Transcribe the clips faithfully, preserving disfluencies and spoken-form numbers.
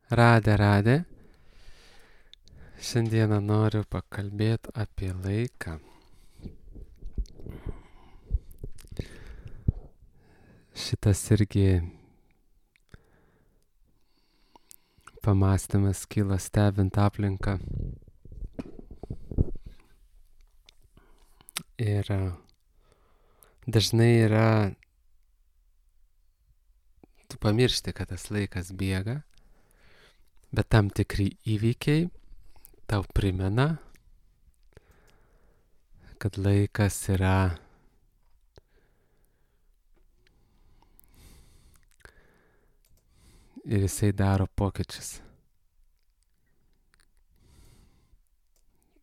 Radė, radė. Šiandieną noriu pakalbėti apie laiką. Šitas irgi pamąstymas kyla stebint aplinką. Ir dažnai yra, tu pamiršti, kad tas laikas bėga, bet tam tikri įvykiai tau primena, kad laikas yra ir jisai daro pokyčius.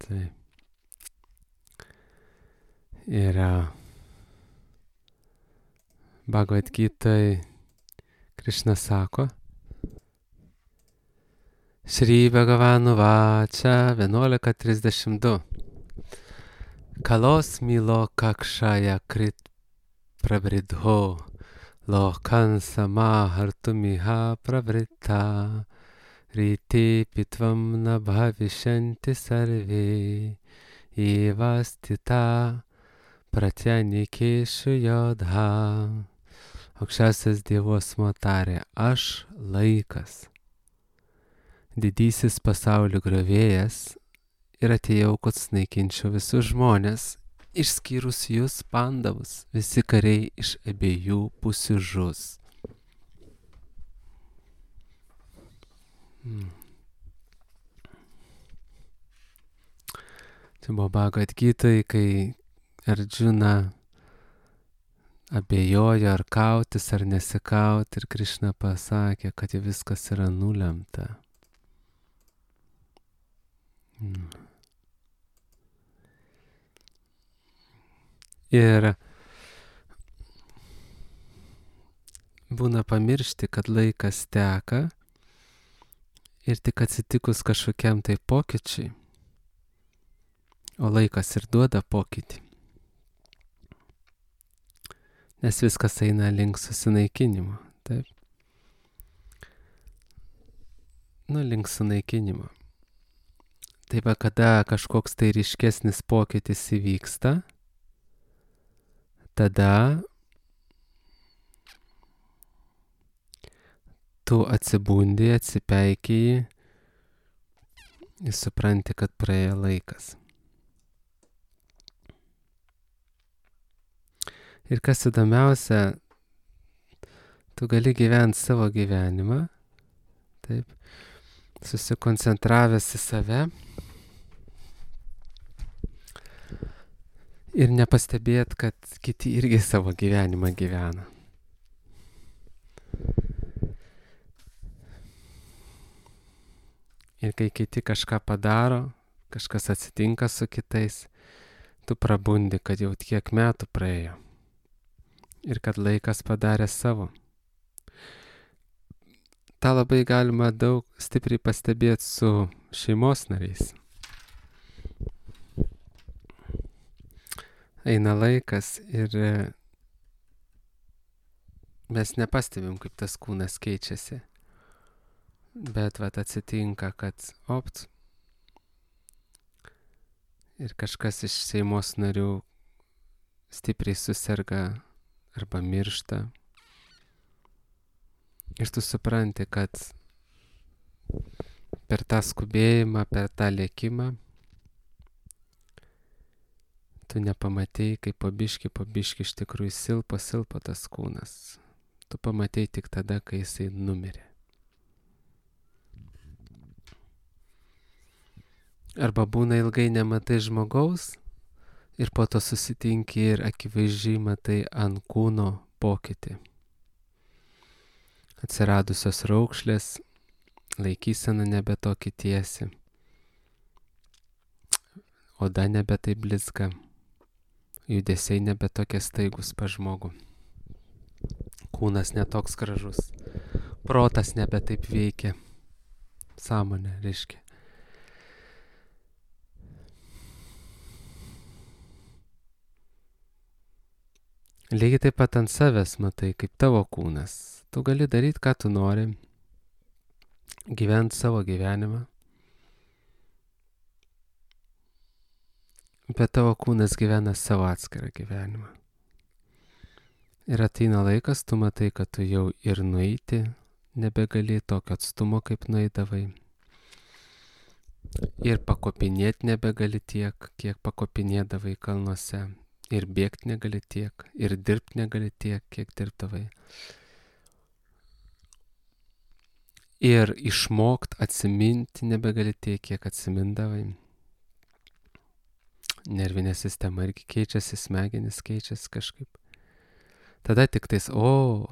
Tai yra Bhagavad Gitai Krishna sako, Šri Bhagavanu Vača vienuolika trisdešimt du. Kalos milo kakšaja krit pravridho, lokan samahartumiha pravrita, ryti pitvam na bhavishanti sarve, evastita pratyanikeshu jodha. Aukščiausias Dievos motarė, aš laikas, didysis pasaulio griovėjas, ir atėjau, kad sunaikinčiau visus žmonės, išskyrus jūs pandavus, visi kariai iš abiejų pusių žus. Hmm. Čia buvo Bhagavad Gitai, kai Arjuna abejojo ar kautis ar nesikauti, ir Krishna pasakė, kad viskas yra nulemta. Hmm. Ir būna pamiršti, kad laikas teka ir tik atsitikus kažkokiam tai pokyčiui, o laikas ir duoda pokytį, nes viskas eina link susinaikinimo, taip? Nu, link sunaikinimo. Taip, kada kažkoks tai ryškesnis pokytis įvyksta, tada tu atsibundi, atsipeikiai ir supranti, kad praėjo laikas. Ir kas įdomiausia, tu gali gyventi savo gyvenimą, taip, susikoncentravęs į save ir nepastebėt, kad kiti irgi savo gyvenimą gyvena. Ir kai kiti kažką padaro, kažkas atsitinka su kitais, tu prabundi, kad jau tiek metų praėjo ir kad laikas padarė savo. Ta labai galima daug stipriai pastebėti su šeimos nariais. Eina laikas ir mes nepastebim, kaip tas kūnas keičiasi. Bet vat atsitinka, kad opt, ir kažkas iš šeimos narių stipriai suserga arba miršta. Ir tu supranti, kad per tą skubėjimą, per tą lėkimą, tu nepamatei, kaip po biškį, po biškį iš tikrųjų silpo, silpo tas kūnas. Tu pamatei tik tada, kai jisai numirė. Arba būna ilgai nematai žmogaus ir po to susitinki ir akivaizdžiai matai ant kūno pokytį. Atsiradusios raukšlės, laikysena nebe tokia tiesi, oda nebe taip blizga, judesiai nebe tokie staigus pas žmogų, kūnas netoks gražus, protas nebe taip veikia, sąmonė reiškia. Lygiai taip pat ant savęs matai, kaip tavo kūnas. Tu gali daryti, ką tu nori. gyventi savo gyvenimą, bet tavo kūnas gyvena savo atskirą gyvenimą. Ir ateina laikas, tu matai, kad tu jau ir nueiti nebegali tokio atstumo, kaip nueidavai. Ir pakopinėti nebegali tiek, kiek pakopinėdavai kalnuose. Ir bėgti negali tiek, ir dirbti negali tiek, kiek dirbdavai. Ir išmokt atsiminti nebegali tiek, kiek atsimindavai. Nervinė sistema irgi keičiasi, smegenis keičiasi kažkaip. Tada tik tais, o,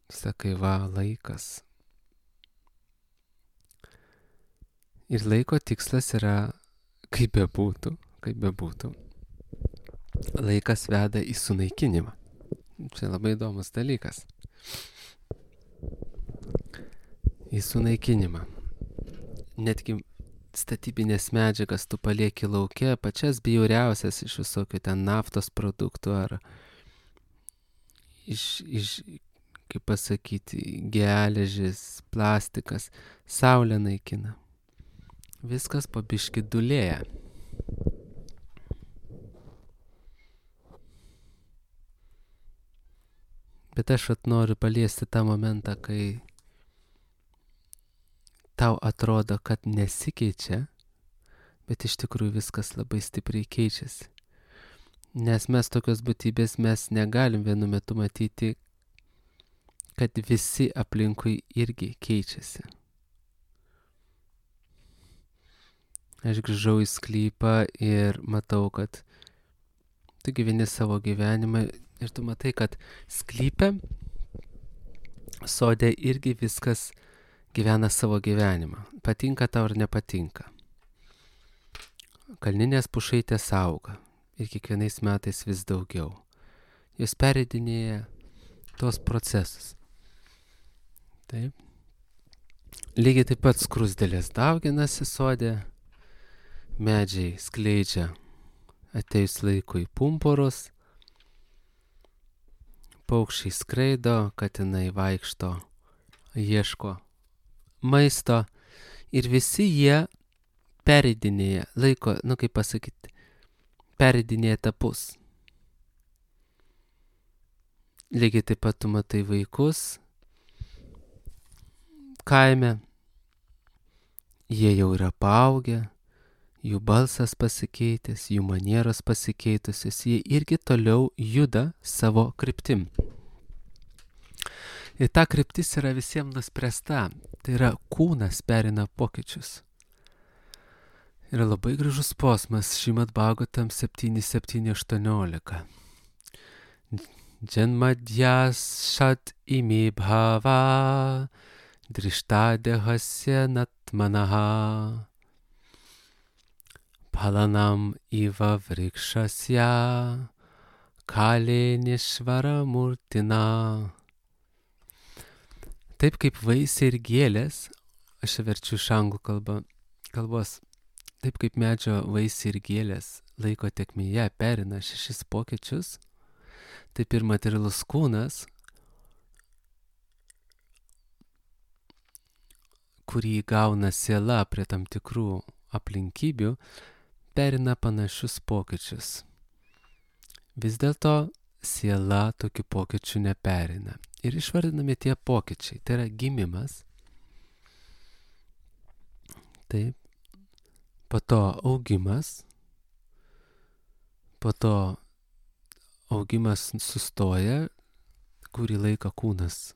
sakai, va, laikas. Ir laiko tikslas yra, kaip bebūtų, kaip bebūtų, laikas veda į sunaikinimą. Čia labai įdomus dalykas. Į sunaikinimą. Netgi statybinės medžiagas tu palieki lauke, pačias bjauriausias iš visokių ten naftos produktų ar iš, iš kaip pasakyti, geležis, plastikas, saulė naikina. Viskas po biškį dulėja. Bet aš at noriu paliesti tą momentą, kai tau atrodo, kad nesikeičia, bet iš tikrųjų viskas labai stipriai keičiasi. Nes mes tokios būtybės, mes negalim vienu metu matyti, kad visi aplinkui irgi keičiasi. Aš grįžau į sklypą ir matau, kad tu gyveni savo gyvenimą ir tu matai, kad sklype, sode irgi viskas gyvena savo gyvenimą. Patinka tau ar nepatinka. Kalninės pušaitės auga ir kiekvienais metais vis daugiau. Jos pereidinėja tuos procesus. Taip. Lygiai taip pat skrusdėlės dauginasi sode, medžiai skleidžia ateis laikui pumpurus, paukščiai skraido, katinai vaikšto, ieško maisto ir visi jie pereidinėja laiko, nu kaip pasakyti, pereidinėja etapus. Lygiai taip pat tu matai vaikus kaime, jie jau yra paaugę, jų balsas pasikeitęs, jų manieros pasikeitusios, jie irgi toliau juda savo kryptim. Ir ta kryptis yra visiems nuspręsta, tai yra kūnas perina pokyčius. Yra labai gražus posmas Šrimad Bhagavatam septyni septyni aštuoniolika. Janmadhyas šat imi bhava drishtadehasya natmanaha Palanam iva vrikšasya kalė nešvara murtina. Taip kaip vaisiai ir gėlės, aš verčiu iš anglų kalbą, kalbos, taip kaip medžio vaisiai ir gėlės laiko tėkmėje perina šešis pokyčius, taip ir materialus kūnas, kurį gauna siela prie tam tikrų aplinkybių, perina panašius pokyčius. Vis dėlto siela tokių pokyčių neperina. Ir išvardinami tie pokyčiai. Tai yra gimimas. Taip. Po to augimas. Po to augimas sustoja, kurį laiką kūnas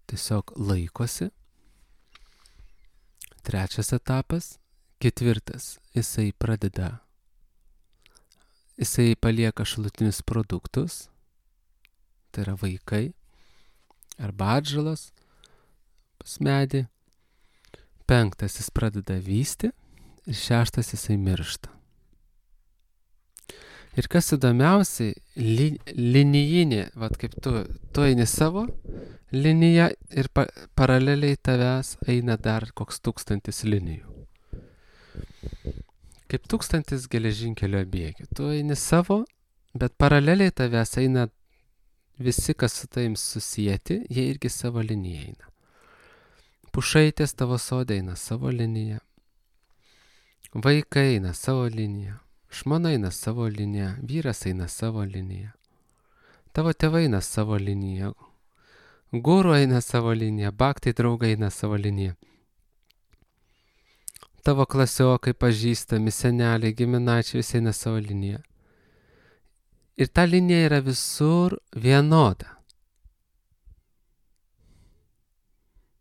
tiesiog laikosi. Trečias etapas. Ketvirtas, jisai pradeda, jisai palieka šalutinius produktus, tai yra vaikai, arba atžalos pas medį. Penktas, jis pradeda vysti ir šeštas, jisai miršta. Ir kas įdomiausiai, li, linijinė, vat kaip tu, tu eini savo liniją ir pa, paraleliai tavęs eina dar koks tūkstantis linijų. Kaip tūkstantis geležinkelio bėgių. Tu eini savo, bet paraleliai tavęs eina visi, kas su tavim susijęti, jie irgi savo liniją eina. Pušaitės tavo sode eina savo liniją. Vaikai eina savo liniją. Žmona eina savo liniją. Vyras eina savo liniją. Tavo tėvai eina savo liniją. Guru eina savo liniją. Bhaktai draugai eina savo liniją. Tavo klasiokai, pažįstami, seneliai, giminaičiai visi eina savo liniją. Ir ta linija yra visur vienoda.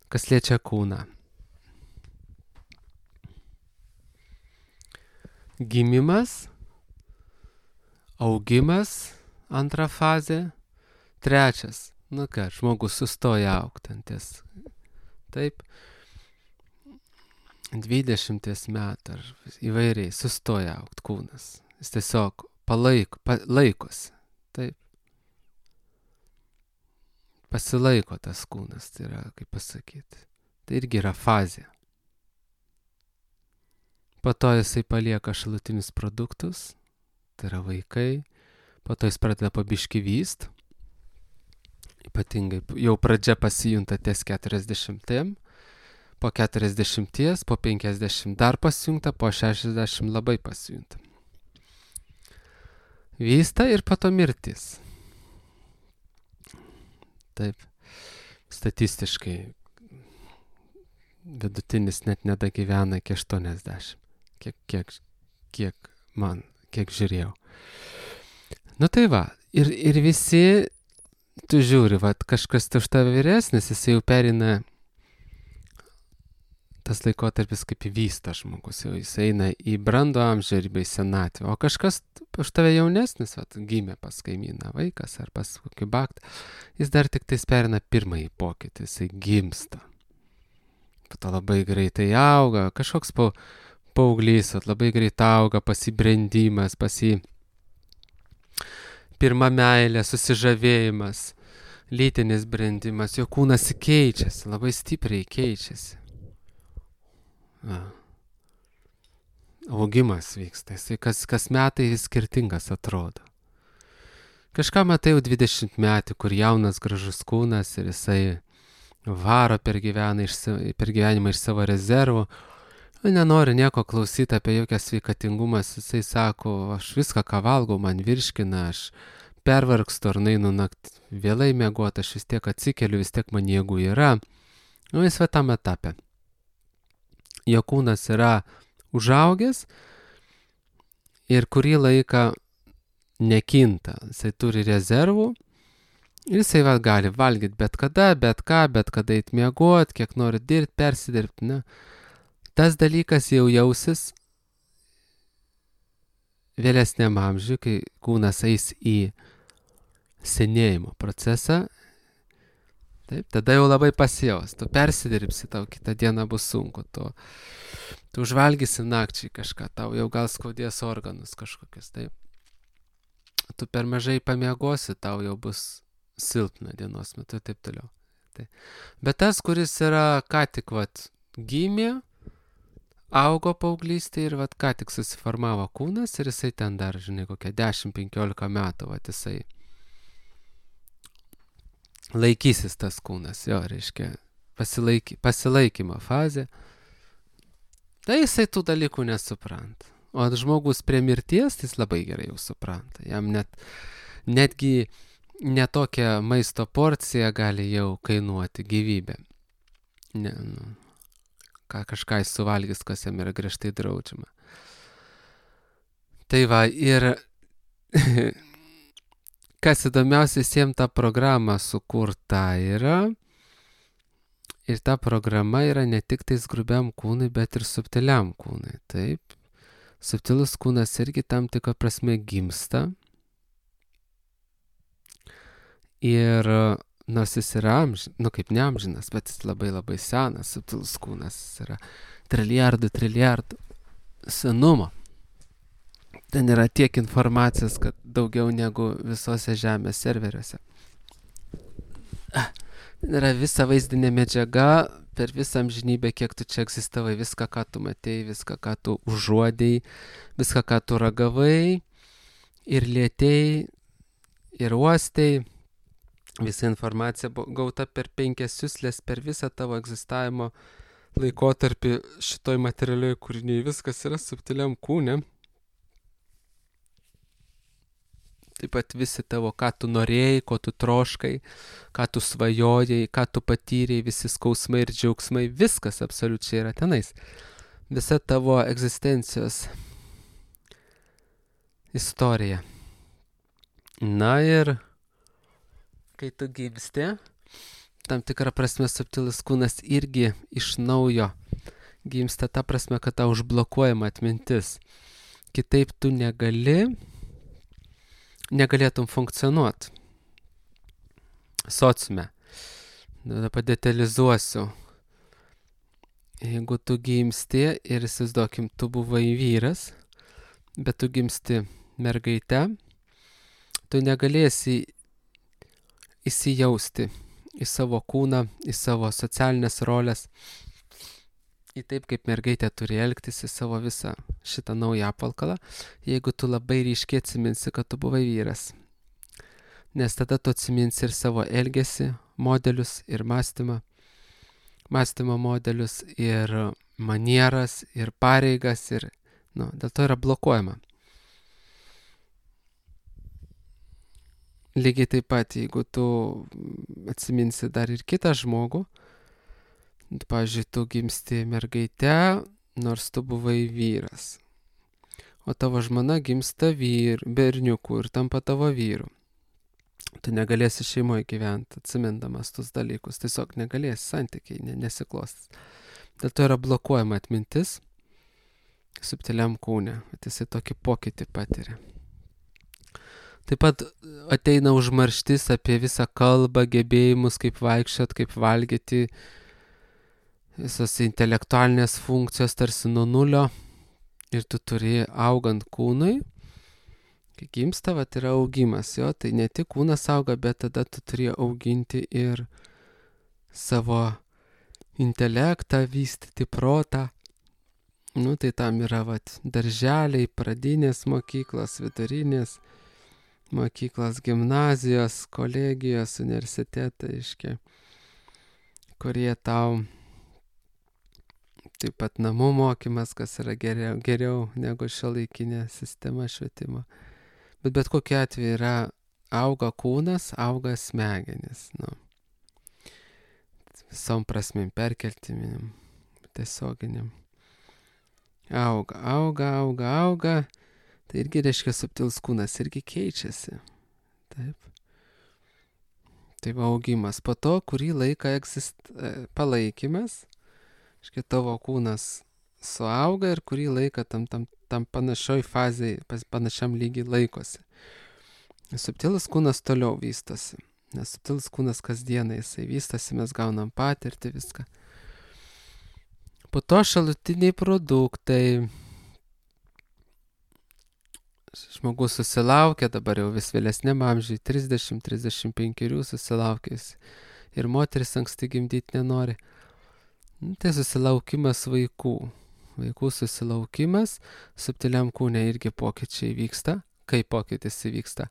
Kas liečia kūną. Gimimas, augimas, antra fazė, trečias. Nu ką, žmogus sustoja augti anties. Taip, dvidešimties metų ar įvairiai sustoja augti kūnas. Jis tiesiog palaiko, palaikosi. Taip. Pasilaiko tas kūnas, tai yra, kaip pasakyti. Tai irgi yra fazė. Po to jisai palieka šalutinius produktus, tai yra vaikai. Po to jis pradeda pabiški vyst. Ypatingai jau pradžia pasijunta ties keturiasdešimtiem. Po keturiasdešimties, po penkiasdešimt dar pasijunta, po šešiasdešimt labai pasijunta. Vysta ir po to mirtis. Taip, statistiškai vidutinis net nedagyvena iki aštuoniasdešimt. Kiek, kiek, kiek man, kiek žiūrėjau. Nu tai va, ir, ir visi, tu žiūri, va, kažkas už tave vyresnis, jis jau perina tas laikotarpis kaip įvysta žmogus, jau jis eina į brandų amžių arba į senatvę, o kažkas už tave jaunesnis, va, gimė pas kaimyną vaikas ar pas kokį baktą, jis dar tik tais perina pirmąjį pokytį, jisai gimsta. Po to labai greitai auga, kažkoks pa, paauglys, labai greitai auga, pasibrendimas, pasi pirma meilė, susižavėjimas, lytinis brendimas, jo kūnas keičiasi, labai stipriai keičiasi. A. Augimas vyksta, jisai kas, kas metai skirtingas atrodo. Kažką matai jau dvidešimt metų, kur jaunas gražus kūnas ir jisai varo per, iš, per gyvenimą iš savo rezervų, nenori nieko klausyti apie jokią sveikatingumas, jisai sako, aš viską, ką valgau, man virškina, aš pervargstu ar nainu naktį vėlai miegoti, aš vis tiek atsikeliu, vis tiek man jėgų yra. Nu, jis va tam etape. Jo kūnas yra užaugęs ir kurį laiką nekinta. Jisai turi rezervų ir jisai va gali valgyti bet kada, bet ką, bet kada eit miegoti, kiek nori dirbti, persidirbti. Ne? Tas dalykas jau jausis vėlesniam amžiui, kai kūnas eis į senėjimo procesą. Taip, tada jau labai pasijaus, tu persidirbsi, tau kitą dieną bus sunku, tu, tu užvalgysi nakčiai kažką, tau jau gal skaudės organus kažkokius, taip. Tu per mažai pamiegosi, tau jau bus silpna dienos metu ir taip toliau. Taip. Bet tas, kuris yra ką tik vat, gimė, augo paauglystė ir vat, ką tik susiformavo kūnas ir jisai ten dar, žinai, kokia dešimt penkiolika metų, vat, jisai laikysis tas kūnas, jo, reiškia, pasilaiky, pasilaikymo fazė. Tai jisai tų dalykų nesupranta. O žmogus prie mirties, jis labai gerai jau supranta. Jam net, netgi netokia maisto porcija gali jau kainuoti gyvybę. Ne, nu, ką kažką jis suvalgys, kas jam yra griežtai draudžiama. Tai va, ir kas įdomiausia, visiems ta programa sukurta yra. Ir ta programa yra ne tik tais grubiam kūnui, bet ir subtiliam kūnui. Taip. Subtilus kūnas irgi tam tikra prasme gimsta. Ir nors jis yra amžinas, nu kaip neamžinas, bet jis labai labai senas, subtilus kūnas. Jis yra trilijardų, trilijardų senumo. Ten yra tiek informacijos, kad daugiau negu visose žemės serveriuose. Ten yra visa vaizdinė medžiaga per visą amžinybę, kiek tu čia egzistavai, viską, ką tu matėjai, viską, ką tu užuodėjai, viską, ką tu ragavai ir lietėjai ir uostėjai. Visa informacija gauta per penkias siuslės, per visą tavo egzistavimo laikotarpį šitoj materialioj kūriniai. Viskas yra subtiliam kūne. Taip pat visi tavo, ką tu norėjai, ko tu troškai, ką tu svajojai, ką tu patyrei, visi skausmai ir džiaugsmai, viskas absoliučiai yra tenais. Visa tavo egzistencijos istorija. Na ir kai tu gimsti, tam tikrą prasme subtilus kūnas irgi iš naujo gimsta, ta prasme, kad tau užblokuojama atmintis. Kitaip tu negali, negalėtum funkcionuoti sociume. Dabar padetalizuosiu. Jeigu tu gimsti ir įsivaizduokim, tu buvai vyras, bet tu gimsti mergaite, tu negalėsi įsijausti į savo kūną, į savo socialinės rolės, į taip, kaip mergaitė turi elgtis, į savo visą šitą naują apvalkalą, jeigu tu labai ryškiai atsiminsi, kad tu buvai vyras. Nes tada tu atsiminsi ir savo elgesį, modelius, ir mąstymą, mąstymo modelius, ir manieras, ir pareigas, ir, nu, dėl to yra blokuojama. Lygiai taip pat, jeigu tu atsiminsi dar ir kitą žmogų, pavyzdžiui, tu gimsti mergaite, nors tu buvai vyras, o tavo žmona gimsta vyr, berniukų ir tampa tavo vyru. Tu negalėsi šeimoje gyventi, atsimindamas tus dalykus, tiesiog negalėsi, santykiai nesiklostys. Dėl to yra blokuojama atmintis subtiliam kūne, kad jisai tokį pokytį patiria. Taip pat ateina užmarštis apie visą kalbą, gebėjimus, kaip vaikščiot, kaip valgyti, visos intelektualinės funkcijos tarsi nuo nulio, ir tu turi augant kūnui, kai gimsta, vat yra augimas, jo, tai ne tik kūnas auga, bet tada tu turi auginti ir savo intelektą, vystyti protą. Nu, tai tam yra, vat, darželiai, pradinės mokyklos, vidurinės mokyklos, gimnazijos, kolegijos, universitetai, iškia, kurie tau taip pat namų mokymas, kas yra geriau, geriau negu šiuolaikinė sistema švietimo. Bet bet kokiu atveju yra auga kūnas, auga smegenis, nu, visom prasmėm, perkeltiminėm, tiesioginiam. Auga, auga, auga, auga. Tai irgi reiškia subtilus kūnas, irgi keičiasi. Taip. Tai va augimas. Po to, kurį laiką egzist... palaikymas, reiškia tavo kūnas suauga ir kurį laiką tam, tam, tam panašioj fazėje, panašiam lygiai laikosi. Subtilus kūnas toliau vystosi. Nes subtilus kūnas kasdieną jisai vystosi, mes gaunam patirtį, viską. Po to šalutiniai produktai. Žmogus susilaukia, dabar jau vis vėlesniam amžiui, trisdešimt trisdešimt penki susilaukęs, ir moteris anksti gimdyti nenori. Tai susilaukimas vaikų. Vaikų susilaukimas, subtiliam kūne irgi pokyčiai vyksta. Kaip pokytis įvyksta?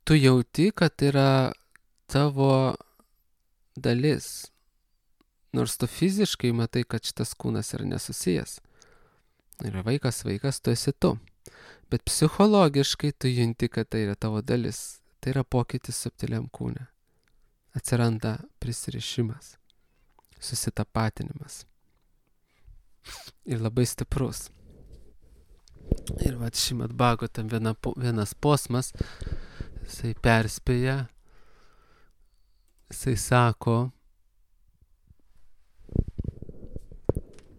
Tu jauti, kad yra tavo dalis. Nors tu fiziškai matai, kad šitas kūnas yra nesusijęs. Yra vaikas, vaikas, tu esi tu. Bet psichologiškai tu junti, kad tai yra tavo dalis. Tai yra pokytis subtiliam kūne. Atsiranda prisirišimas, susitapatinimas. Ir labai stiprus. Ir vat Šrimad Bhagavatam viena, vienas posmas, jisai perspėja, jisai sako,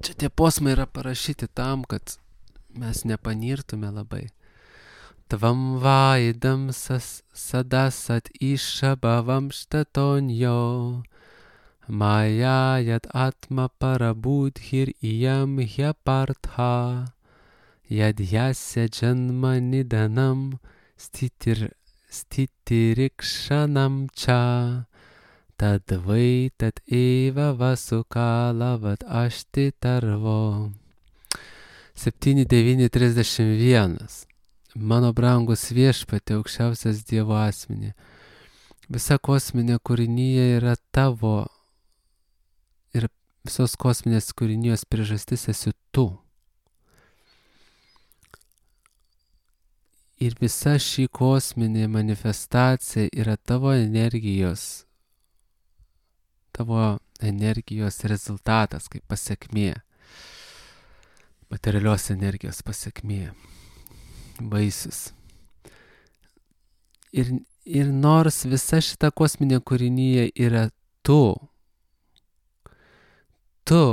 čia tie posmai yra parašyti tam, kad mes nepanirtume labai. Tvam vaidam sas sadasat išabhavam štatonjo, maya yad atma parabudhir iyam hyapartha, yad yasya janma nidanam stitir, stitirikshanam cha, tad vai tad eva vasukala vad ašti tarvo. septyni devyni trisdešimt vienas. Mano brangus viešpatie, aukščiausias Dievo asmenį, Visa kosminė kūrinyje yra tavo ir visos kosminės kūrinijos priežastis esi tu. Ir visa ši kosminė manifestacija yra tavo energijos, tavo energijos rezultatas, kaip pasekmė, materialios energijos pasekmė, vaisius. Ir, ir nors visa šita kosminė kūrinyje yra tu, tu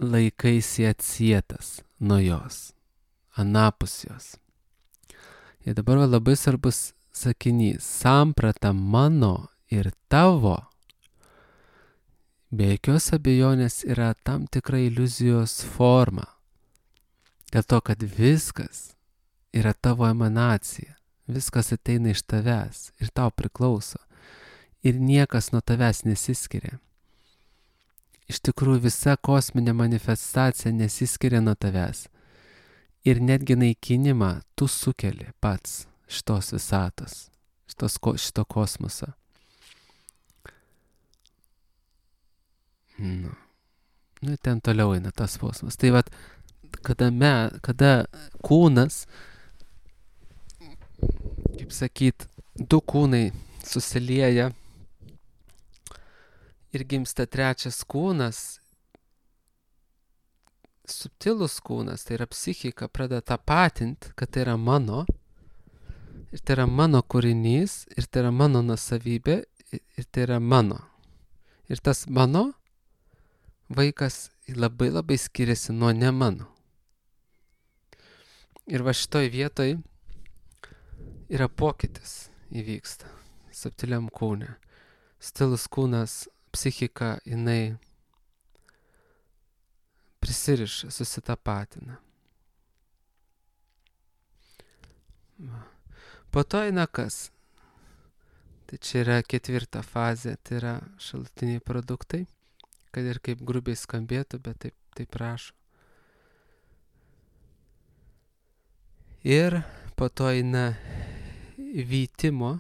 laikaisi atsietas nuo jos, anapus jos. Ir dabar labai svarbus sakinys, samprata mano ir tavo, be jokios abejonės yra tam tikra iliuzijos forma. Dėl to, kad viskas yra tavo emanacija, viskas ateina iš tavęs ir tau priklauso. Ir niekas nuo tavęs nesiskiria. Iš tikrųjų visa kosminė manifestacija nesiskiria nuo tavęs. Ir netgi naikinimą tu sukeli pats šitos visatos, šitos, šito kosmoso. Nu, nu ten toliau eina tas kosmosas. Tai vat, kada, me, kada kūnas, kaip sakyt, du kūnai susilieja ir gimsta trečias kūnas, subtilus kūnas, tai yra psichika, pradeda tapatinti, kad tai yra mano, ir tai yra mano kūrinys, ir tai yra mano nusavybė, ir tai yra mano. Ir tas mano vaikas labai labai skiriasi nuo ne mano. Ir va šitoj vietoj yra pokytis įvyksta subtiliam kūne. Subtilus kūnas, psichika, jinai prisiriša, susitapatina. Po to eina kas? Tai čia yra ketvirta fazė, tai yra šalutiniai produktai, kad ir kaip grubiai skambėtų, bet taip, taip rašo. Ir po to eina vytimo,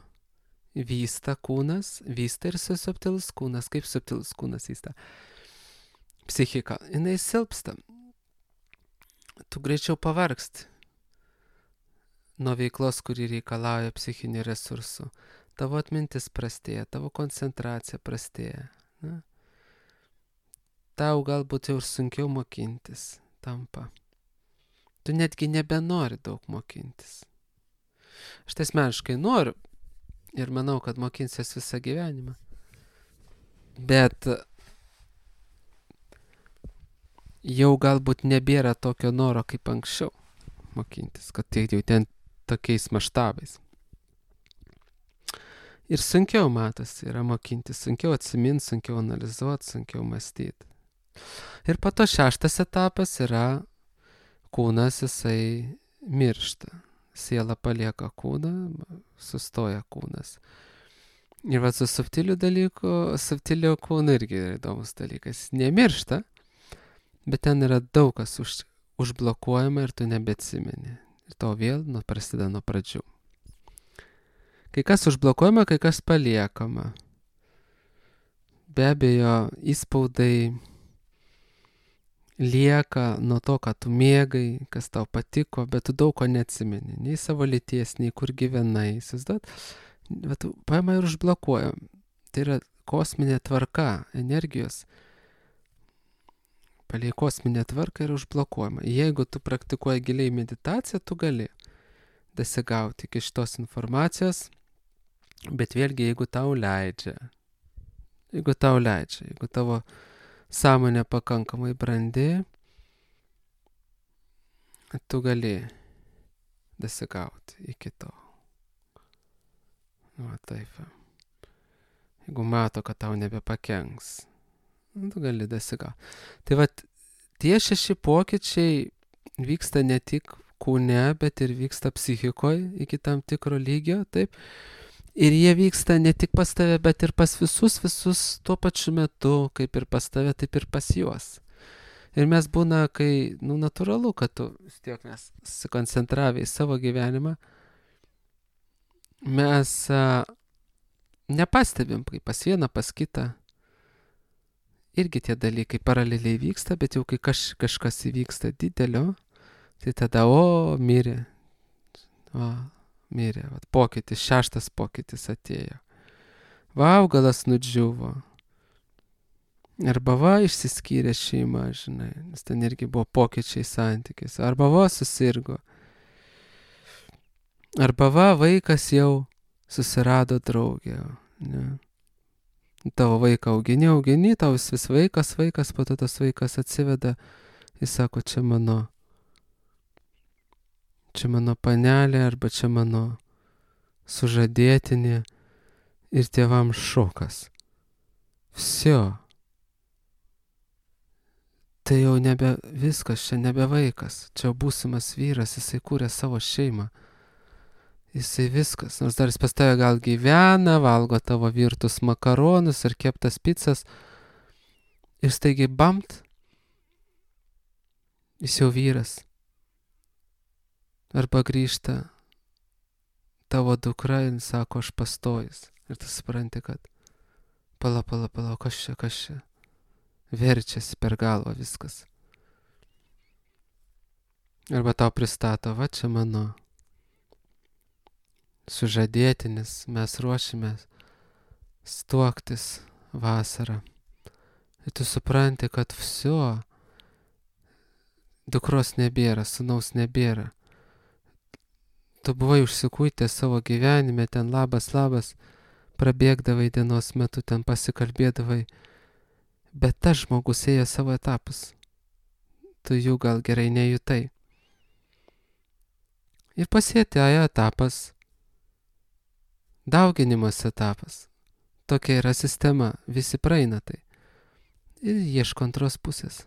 vysta kūnas, vysta ir subtilus kūnas, kaip subtilus kūnas vysta. Psichika, jinai silpsta. Tu greičiau pavargsti nuo veiklos, kuri reikalauja psichinių resursų. Tavo atmintis prastėja, tavo koncentracija prastėja. Na? Tau galbūt jau ir sunkiau mokintis tampa. Tu netgi nebenori daug mokintis. Aš tai asmeniškai noriu ir manau, kad mokinsies visą gyvenimą. Bet jau galbūt nebėra tokio noro kaip anksčiau mokintis, kad tai jau ten tokiais maštabais. Ir sunkiau matosi yra mokintis, sunkiau atsiminti, sunkiau analizuoti, sunkiau mąstyti. Ir po to šeštas etapas yra kūnas, jisai miršta. Siela palieka kūną, sustoja kūnas. Ir va su subtiliu dalyku, subtilio kūnu irgi yra įdomus dalykas. Nemiršta, bet ten yra daug kas už, užblokuojama ir tu nebeatsimeni. Ir to vėl nu, prasideda nuo pradžių. Kai kas užblokuojama, kai kas paliekama. Be abejo, įspaudai lieka nuo to, ką tu mėgai, kas tau patiko, bet tu daug ko neatsimeni. Nei savo lyties, nei kur gyvenai. Įsivaizduot, bet tu paima ir užblokuoja. Tai yra kosminė tvarka, energijos. Palei kosminė tvarka yra užblokuojama. Jeigu tu praktikuoji giliai meditaciją, tu gali dasigauti iki šitos informacijos, bet vėlgi, jeigu tau leidžia, jeigu tau leidžia, jeigu tavo sąmonė pakankamai brandi, tu gali dasigauti iki to. Va taip. Jeigu mato, kad tau nebepakenks, tu gali dasigauti. Tai va, tie šeši pokyčiai vyksta ne tik kūne, bet ir vyksta psichikoje iki tam tikro lygio, taip. Ir jie vyksta ne tik pas tave, bet ir pas visus, visus tuo pačiu metu, kaip ir pas tave, taip ir pas juos. Ir mes būna, kai, nu, natūralu, kad tu vis tiek mes susikoncentravę į savo gyvenimą, mes a, nepastebim, kai pas vieną, pas kitą. Irgi tie dalykai paraleliai vyksta, bet jau kai kaž, kažkas įvyksta didelio, tai tada, o, mirė. O, mirė. Vat, pokytis, šeštas pokytis atėjo. Va, augalas nudžiuvo. Arba va, išsiskyrė šeima, žinai, nes ten irgi buvo pokyčiai santykis. Arba va, susirgo. Arba va, vaikas jau susirado draugę. Ne? Tavo vaiką augini, augini, tau vis, vis vaikas, vaikas, po to tas vaikas atsiveda, jis sako, čia mano, čia mano panelė, arba čia mano sužadėtinė, ir tėvam šokas. Всё. Tai jau nebe viskas, čia nebe vaikas, čia būsimas vyras, jisai kūrė savo šeimą. Jisai viskas, nors dar jis pas tave gal gyvena, valgo tavo virtus makaronus ir keptas picas. Ir staigiai bamt, jis jau vyras. Arba grįžta tavo dukra ir sako, aš pastojus. Ir tu supranti, kad pala, pala, pala, kas čia, kas čia. Verčiasi per galvą viskas. Arba tau pristato, va čia mano sužadėtinis, mes ruošimės stuoktis vasarą. Ir tu supranti, kad всё, dukros nebėra, sūnaus nebėra. Tu buvai užsikuitęs savo gyvenime, ten labas, labas, prabėgdavai dienos metu, ten pasikalbėdavai, bet tas žmogus ėjo savo etapus. Tu jų gal gerai nejutai. Ir pasėtėjo etapas, dauginimas etapas. Tokia yra sistema, visi praeina tai. Ir ieško antros pusės.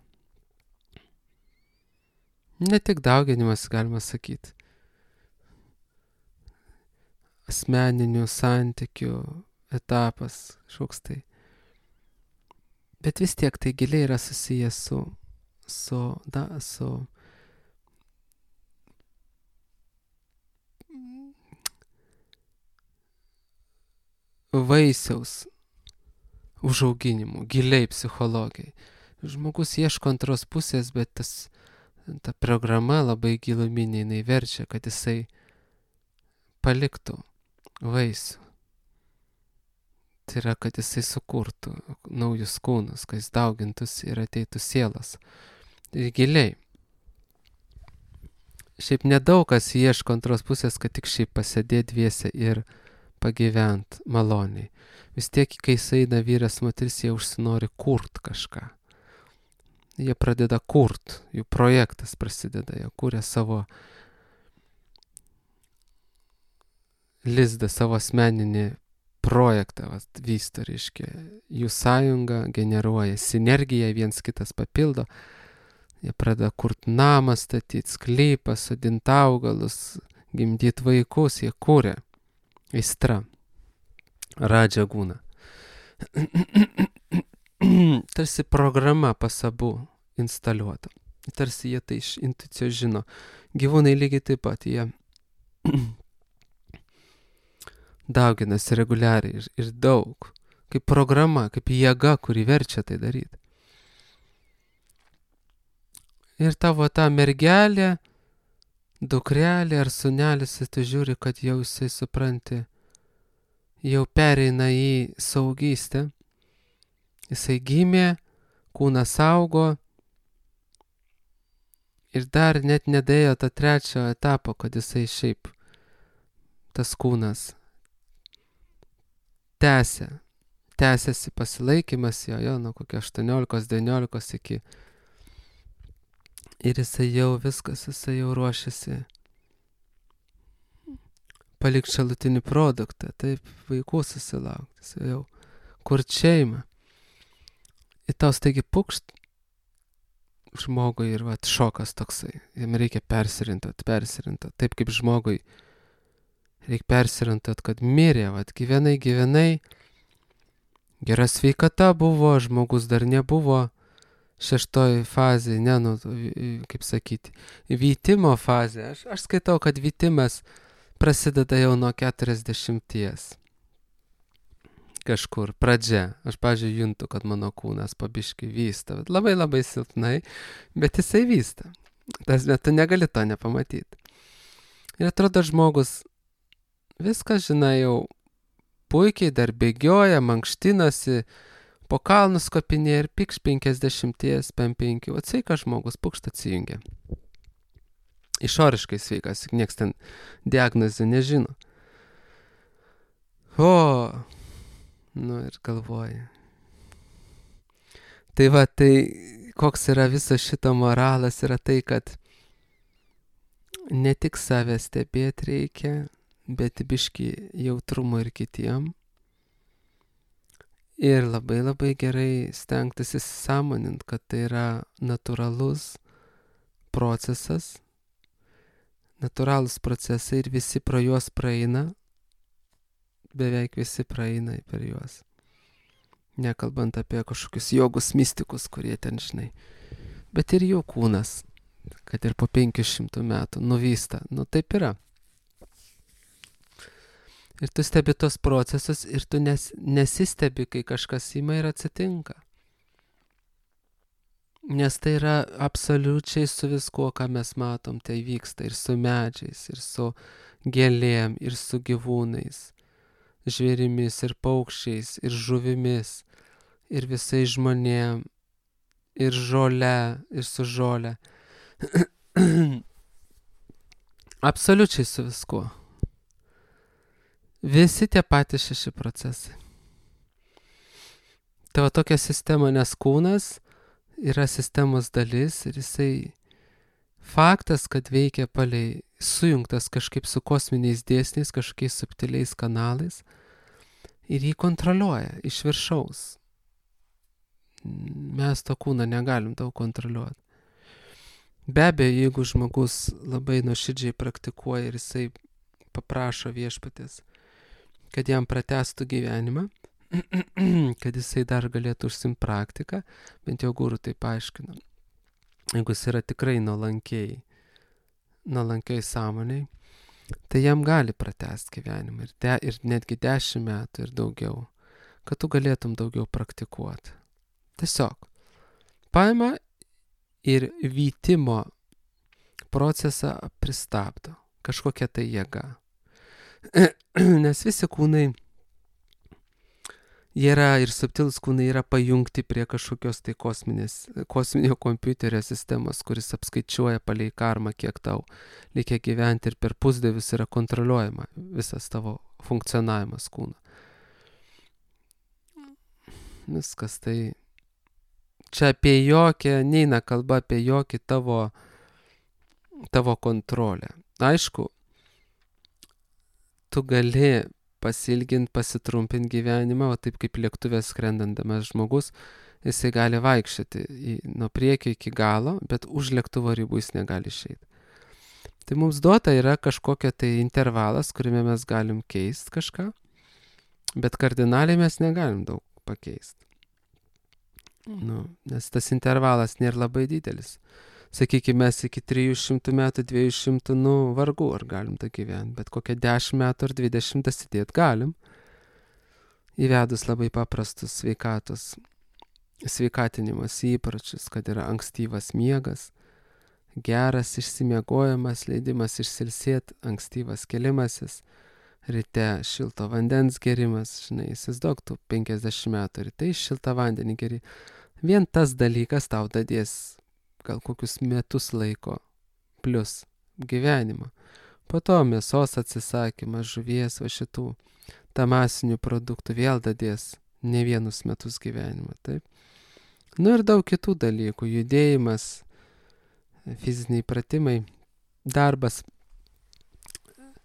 Ne tik dauginimas, galima sakyti. Asmeninių santykių etapas, šoks tai. Bet vis tiek tai giliai yra susijęs su, su, da, su vaisiaus užauginimu, giliai psichologijai. Žmogus ieško antros pusės, bet tas, ta programa labai giluminė, jinai verčia, kad jisai paliktų vaisių. Tai yra, kad jisai sukurtų naujus kūnus, kad jis daugintųsi ir ateitų sielas. Ir giliai. Šiaip nedaug kas ieško antros pusės, kad tik šiaip pasėdėti dviese ir pagyvent maloniai. Vis tiek, kai jis eina vyras moteris, jie užsinori kurt kažką. Jie pradeda kurt, jų projektas prasideda, jie kūrė savo lizdą, savo asmeninį projektą, vas, vysto, reiškia, jų sąjunga generuoja sinergiją, viens kitas papildo, jie pradeda kurt namą, statyti sklypą, sodinti augalus, gimdyti vaikus, jie kūrė. Aistra. Radža gūna. Tarsi programa pas abu instaliuota. Tarsi jie tai iš intuicijos žino. Gyvūnai lygiai taip pat, jie dauginasi reguliariai ir, ir daug. Kaip programa, kaip jėga, kuri verčia tai daryti. Ir tavo ta mergelė, dukrelė ar sunelis, tu žiūri, kad jau jisai supranti, jau pereina į saugystę. Jisai gimė, kūnas augo ir dar net nedėjo tą trečio etapo, kad jisai šiaip tas kūnas tęsia. Tęsiasi pasilaikymas jo, jo, nuo kokio aštuoniolikos devyniolikos iki. Ir jisai jau viskas, jisai jau ruošiasi palikti šalutinį produktą, taip, vaikų susilaukti, jisai jau kurt šeimą. Ir tau staigi pukšt žmogui ir vat šokas toksai, jam reikia persirintot, persirintot, taip kaip žmogui reikia persirintot, kad mirė, vat gyvenai, gyvenai, gera sveikata buvo, žmogus dar nebuvo šeštoj fazė, ne, nu, kaip sakyti, vytimo fazė. Aš, aš skaitau, kad vytimas prasideda jau nuo keturiasdešimties. Kažkur pradžia. Aš, pavyzdžiui, juntu, kad mano kūnas pabiški vysta. Labai labai silpnai, bet jisai vysta. Tas metu negali to nepamatyti. Ir atrodo žmogus viską, žinai, jau puikiai dar bėgioja, mankštinasi, po kalnus kopinėja ir pikš penkiasdešimties, pem penki. O sveikas žmogus pukšt atsijungia. Išoriškai sveikas, nieks ten diagnozių nežino. O, nu ir galvoja. Tai va, tai koks yra viso šito moralas, yra tai, kad ne tik save stebėti reikia, bet biški jautrumo ir kitiem. Ir labai labai gerai stengtis įsisąmonint, kad tai yra natūralus procesas, natūralūs procesai ir visi pro juos praeina, beveik visi praeina per juos. Nekalbant apie kažkokius jogus mistikus, kurie ten, žinai. Bet ir jų kūnas, kad ir po penkių šimtų metų nuvysta. Nu taip yra. Ir tu stebi tos procesus ir tu nes, nesistebi, kai kažkas ima ir atsitinka. Nes tai yra absoliučiai su viskuo, ką mes matom, tai vyksta ir su medžiais, ir su gėlėm, ir su gyvūnais, žvėrimis, ir paukščiais, ir žuvimis, ir visais žmonėm, ir žole, ir su žole. Absoliučiai su viskuo. Visi tie patys šeši procesai. Tavo tokia sistema, nes kūnas yra sistemos dalis ir jisai faktas, kad veikia palei sujungtas kažkaip su kosminiais dėsniais, kažkokiais subtiliais kanalais ir jį kontroliuoja iš viršaus. Mes to kūną negalim daug kontroliuoti. Be abejo, jeigu žmogus labai nuoširdžiai praktikuoja ir jisai paprašo viešpatės, kad jam pratęstų gyvenimą, kad jisai dar galėtų užsiimti praktiką, bent jau guru tai paaiškina. Jeigu jis yra tikrai nuolankiai, nuolankiai sąmoniai, tai jam gali pratęsti gyvenimą ir, de, ir netgi dešimt metų ir daugiau, kad tu galėtum daugiau praktikuoti. Tiesiog paima ir vytimo procesą pristabdo, kažkokia tai jėga. Nes visi kūnai, jie yra ir subtilūs kūnai yra pajungti prie kažkokios tai kosminės, kosminio kompiuterio sistemos, kuris apskaičiuoja palei karmą, kiek tau reikia gyventi ir per pusdievius yra kontroliuojama visas tavo funkcionavimas kūno. Viskas tai, čia apie jokią, neina kalba apie jokį tavo, tavo kontrolę. Aišku, tu gali pasilginti, pasitrumpinti gyvenimą, o taip kaip lėktuvės skrendandamas žmogus, jisai gali vaikščioti į, nuo priekio iki galo, bet už lėktuvo ribų jis negali išeiti. Tai mums duota yra kažkokia tai intervalas, kuriame mes galim keisti kažką, bet kardinaliai mes negalim daug pakeisti. Nu, nes tas intervalas nėra labai didelis. Sakykime, mes iki trijų šimtų metų, dviejų šimtų, nu, vargu ar galim tą gyventi, bet kokią dešimt metų ar dvidešimt atsidėti galim, įvedus labai paprastus sveikatos, sveikatinimas įpročius, kad yra ankstyvas miegas, geras išsimiegojimas, leidimas išsilsėti, ankstyvas kelimasis, ryte šilto vandens gerimas, žinai, įsivaizduok tu penkiasdešimt metų ryte šiltą vandenį geri. Vien tas dalykas tau dadės gal kokius metus laiko plus gyvenimą. Po to mėsos atsisakymas, žuvies, va šitų tamasinių produktų vėl dadės ne vienus metus gyvenimą, taip. Nu ir daug kitų dalykų, judėjimas, fiziniai pratimai, darbas,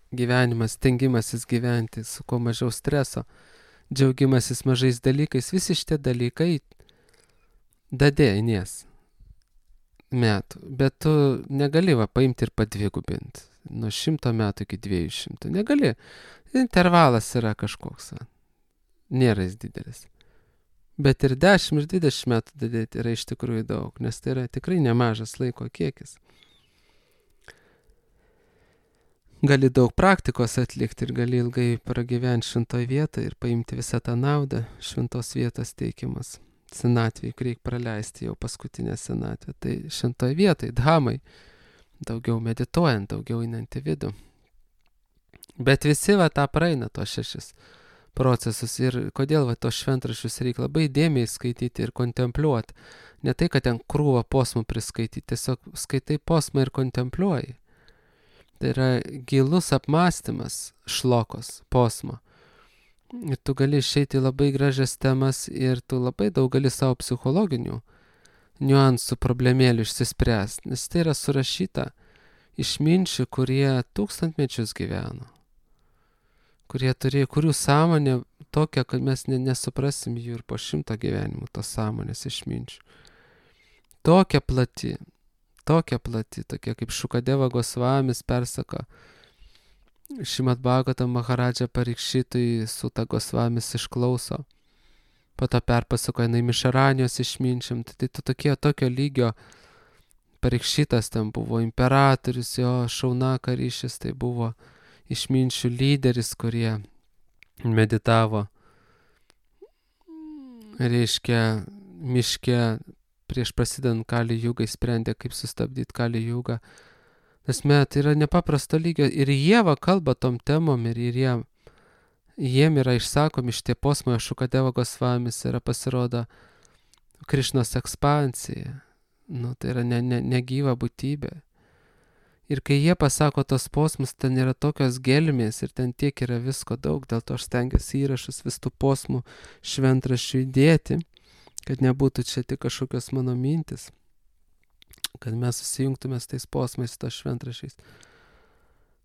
gyvenimas, stengimasis gyventi su kuo mažiau streso, džiaugimasis mažais dalykais, visi šitie dalykai dadėjinies metų, bet tu negali va paimti ir padvigubinti nuo šimto metų iki dviejų šimtų, negali, intervalas yra kažkoks, va. Nėra jis didelis, bet ir dešimt ir dvidešimt metų dadėti yra iš tikrųjų daug, nes tai yra tikrai nemažas laiko kiekis. gali daug praktikos atlikti ir gali ilgai pragyventi šventoj vietoj ir paimti visą tą naudą šventos vietos teikimas. Senatvėj, kur reikia praleisti jau paskutinę senatvę. Tai šventoj vietoj, dhamai, daugiau medituojant, daugiau einant į vidų. Bet visi va tą praeina, tos šešis procesus. Ir kodėl va tos šventraščius reikia labai dėmiai skaityti ir kontempliuoti. Ne tai, kad ten krūvą posmų priskaityti, tiesiog skaitai posmą ir kontempliuoji. Tai yra gilus apmąstymas šlokos, posmo. Ir tu gali išeiti labai gražias temas ir tu labai daug gali savo psichologinių niuansų problemėlių išsispręsti, nes tai yra surašyta išminčių, kurie tūkstantmečius gyveno, kurie turėjo, kurių sąmonė tokia, kad mes ne, nesuprasim jų ir po šimto gyvenimų tos sąmonės išminčių. Tokia plati, tokia plati, tokia kaip Šukadeva Gosvamis persako, Šrimad Bhagavatam Maharadža Parikšitui Suta Gosvamis išklauso, po to perpasakoja Naimišaranijos išminčiam, tai, tai tokie, tokio lygio Parikšitas ten buvo imperatorius, jo Šaunaka ryšis, tai buvo išminčių lyderis, kurie meditavo, reiškia, miške prieš prasidant Kali Jugai, sprendė, kaip sustabdyti Kali Jugą. Esmė, tai yra nepaprasto lygio ir jie va kalba tom temom ir, ir jie, jiem yra išsakomi šitie posmai, Šukadeva Gosvamis yra pasirodo Krišnos ekspansija, nu, tai yra ne, ne, negyva būtybė. Ir kai jie pasako tos posmus, ten yra tokios gelmės ir ten tiek yra visko daug, dėl to aš stengiuosi įrašus vis tų posmų šventraščių įdėti, kad nebūtų čia tik kažkokios mano mintis, kad mes susijungtumės tais posmais, tos šventrašiais.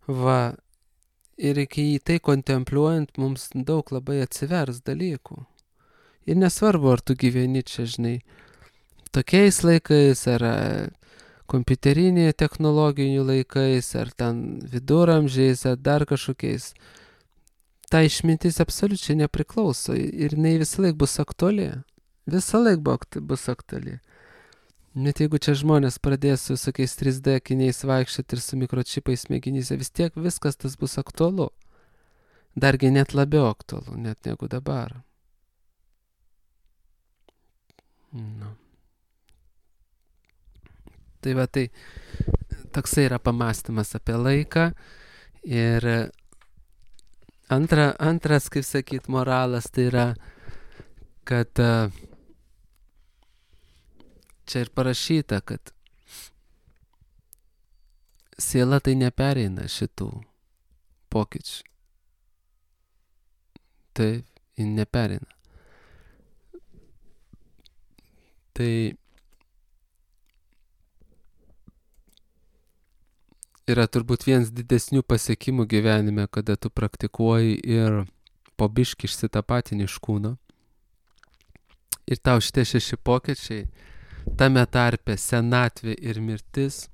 Va, ir kai į tai kontempliuojant, mums daug labai atsivers dalykų. Ir nesvarbu, ar tu gyveni čia, žinai, tokiais laikais, ar kompiuterinė technologinių laikais, ar ten viduramžiais, ar dar kažkokiais. Ta išmintis absoliučiai nepriklauso ir jinai visą laik bus aktuali. Visą laik bus aktuali. Net jeigu čia žmonės pradės su visokiais trys D akiniais vaikščioti ir su mikročipais smegenyse, vis tiek viskas tas bus aktualu. Dargi net labiau aktualu, net negu dabar. Nu. Tai va tai, toksai yra pamąstymas apie laiką. Ir antra, antras, kaip sakyt, moralas, tai yra, kad čia ir parašyta, kad siela tai nepereina šitų pokyčių. Taip, ji nepereina. Tai yra turbūt vienas didesnių pasiekimų gyvenime, kada tu praktikuoji ir po biškį išsitapatini iš kūno. Ir tau šitie šeši pokyčiai, tame tarpe senatvė ir mirtis,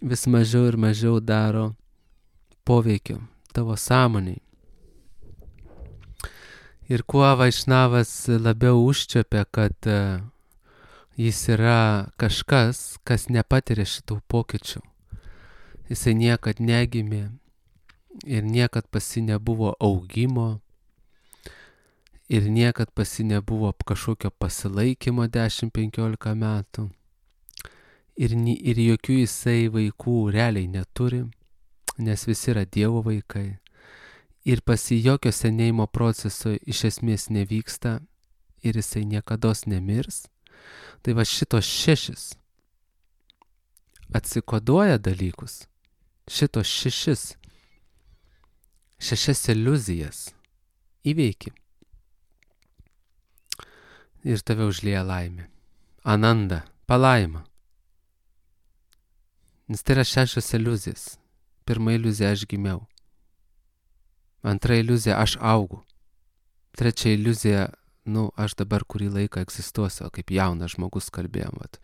vis mažiau ir mažiau daro poveikio tavo sąmoniai. Ir kuo Vaišnavas labiau užčiopia, kad uh, jis yra kažkas, kas nepatiria šitų pokyčių. Jisai niekad negimė ir niekad pasi nebuvo augimo ir niekad pasi nebuvo kažkokio pasilaikymo dešimt penkiolika metų. Ir, ir jokių jisai vaikų realiai neturi, nes visi yra Dievo vaikai. Ir pasi jokio senėjimo proceso iš esmės nevyksta ir jisai niekados nemirs. Tai va šitos šešis atsikoduoja dalykus. Šitos šešis, šešias iliuzijas įveiki. Ir tave užlieja laimė. Ananda, palaima. Nes tai yra šešios iliuzijas. Pirma iliuzija aš gimiau. Antra iliuzija aš augu. Trečia iliuzija, nu, aš dabar kurį laiką egzistuosiu, kaip jaunas žmogus kalbėjom, vat.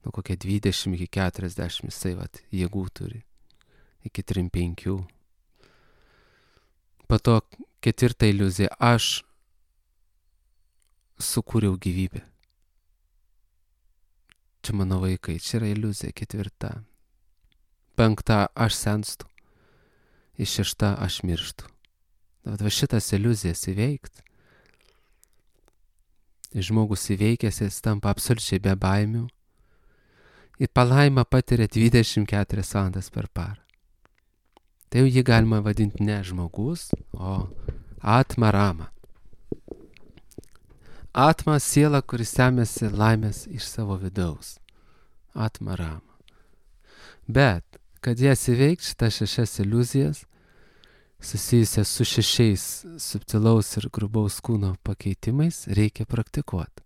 Nu, kokie dvidešimt iki keturiasdešimt jisai, vat, jėgų turi. Iki trim penkių. Po to ketvirta iliuzija, aš sukūriau gyvybę. Čia mano vaikai, čia yra iliuzija ketvirta. Penkta, aš senstu. iššešta aš mirštu. Bet va šitas iliuzijas įveikti. Žmogus įveikęs, jis tampa absoliučiai be baimių. Ir palaimą patiria dvidešimt keturias valandas per parą. Tai jau jį galima vadinti ne žmogus, o atma rama. Atma siela, kuris semėsi laimės iš savo vidaus. Atma rama. Bet, kad jas įveikti šitas šešias iliuzijas, susijusias su šešiais subtilaus ir grubaus kūno pakeitimais, reikia praktikuoti.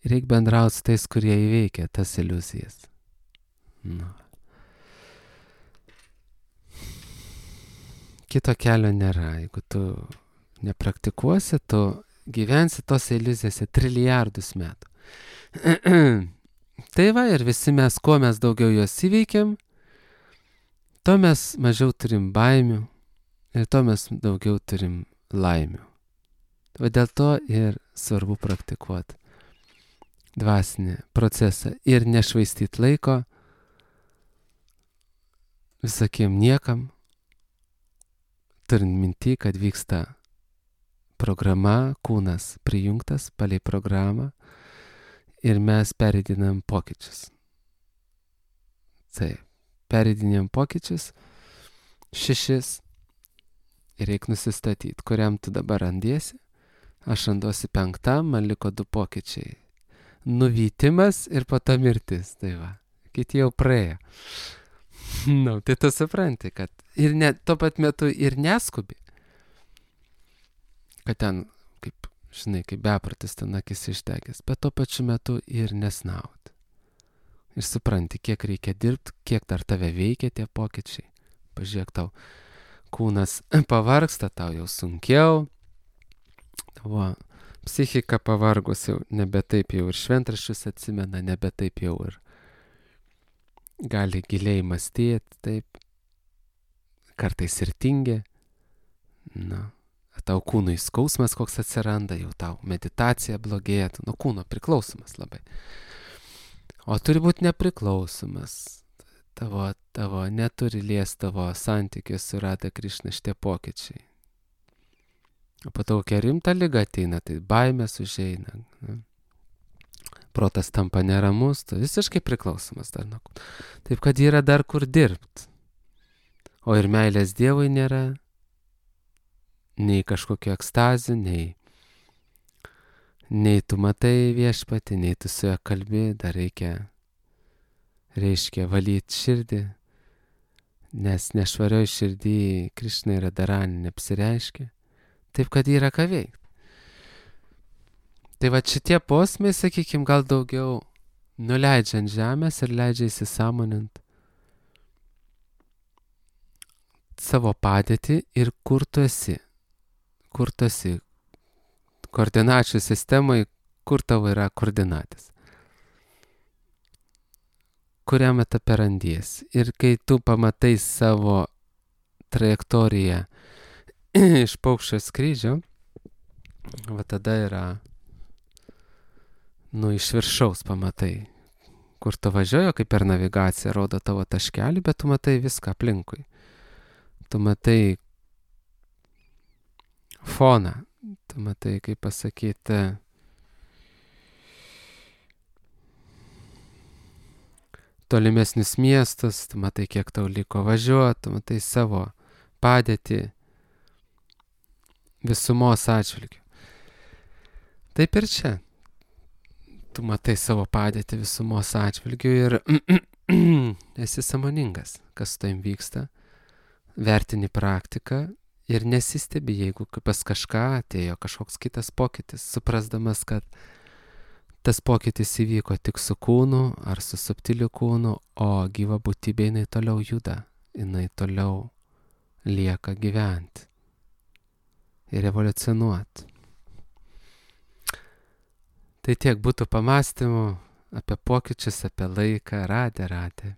Reikia bendrauti su tais, kurie įveikia tas iliuzijas. Nu. Kito kelio nėra. Jeigu tu nepraktikuosi, tu gyvensi tos iliuzijose trilijardus metų. Tai va, ir visi mes, kuo mes daugiau jos įveikiam, to mes mažiau turim baimių ir to mes daugiau turim laimių. Va dėl to ir svarbu praktikuoti dvasinį procesą ir nešvaistyti laiko visokiem niekam, turint minty, kad vyksta programa, kūnas prijungtas palei programą ir mes pereidinam pokyčius. Taip, pereidinam pokyčius, šešis, ir reik nusistatyti, kuriam tu dabar randiesi. Aš randuosi penktam, man liko du pokyčiai. Nuvytimas ir po to mirtis. Tai va, kiti jau praėjo. Nu, tai tu supranti, kad ir ne, tuo pat metu ir neskubi. Kad ten, kaip, žinai, kaip bepratis ten akis išdegęs, bet tuo pačiu metu ir nesnaut. Ir supranti, kiek reikia dirbti, kiek dar tave veikia tie pokyčiai. Pažiūrėk, tau kūnas pavargsta, tau jau sunkiau. Tavo psichika pavargus jau nebe taip jau ir šventraščius atsimena, nebe taip jau ir gali giliai mąstyti, taip. Kartais ir tingi. Na, tau kūnui skausmas koks atsiranda, jau tau meditacija blogėja, nuo kūno priklausomas labai. O turi būti nepriklausomas. Tavo, tavo, neturi liesti tavo santykius su Radha Krišna šitie pokyčiai. O po to kokia rimta liga ateina, tai baimės užeina. Ne? Protas tampa neramus, tu visiškai priklausomas dar nuo kūno. Taip, kad yra dar kur dirbti. O ir meilės Dievui nėra, nei kažkokio ekstazių, nei, nei tu matai viešpatį, nei tu su juo kalbi, dar reikia, reiškia valyti širdį, nes nešvarioj širdį Krišna yra Dharani neapsireiškia, taip kad yra ką veikti. Tai va šitie posmai, sakykim, gal daugiau nuleidžia ant žemės ir leidžia įsisąmonint savo padėtį ir kur tu esi. Kur tu esi. Koordinačių sistemai, kur tavo yra koordinatės. Kuriam etape randies. Ir kai tu pamatai savo trajektoriją iš paukščio skrydžio, va tada yra, nu, iš viršaus pamatai, kur tu važiuoji, kaip per navigaciją rodo tavo taškelį, bet tu matai viską aplinkui. Tu matai foną, tu matai, kaip pasakyti, tolimesnius miestus, tu matai, kiek tau liko važiuoti, tu matai savo padėtį visumos atžvilgiu. Taip ir čia. Tu matai savo padėtį visumos atžvilgiu ir esi sąmoningas, kas su tavim vyksta, vertini praktiką ir nesistebi, jeigu pas kažką atėjo kažkoks kitas pokytis, suprasdamas, kad tas pokytis įvyko tik su kūnu ar su subtiliu kūnu, o gyva būtybė jinai toliau juda, jinai toliau lieka gyventi ir evoliucionuoti. Tai tiek būtų pamastymų apie pokyčius, apie laiką. Radhe, radhe.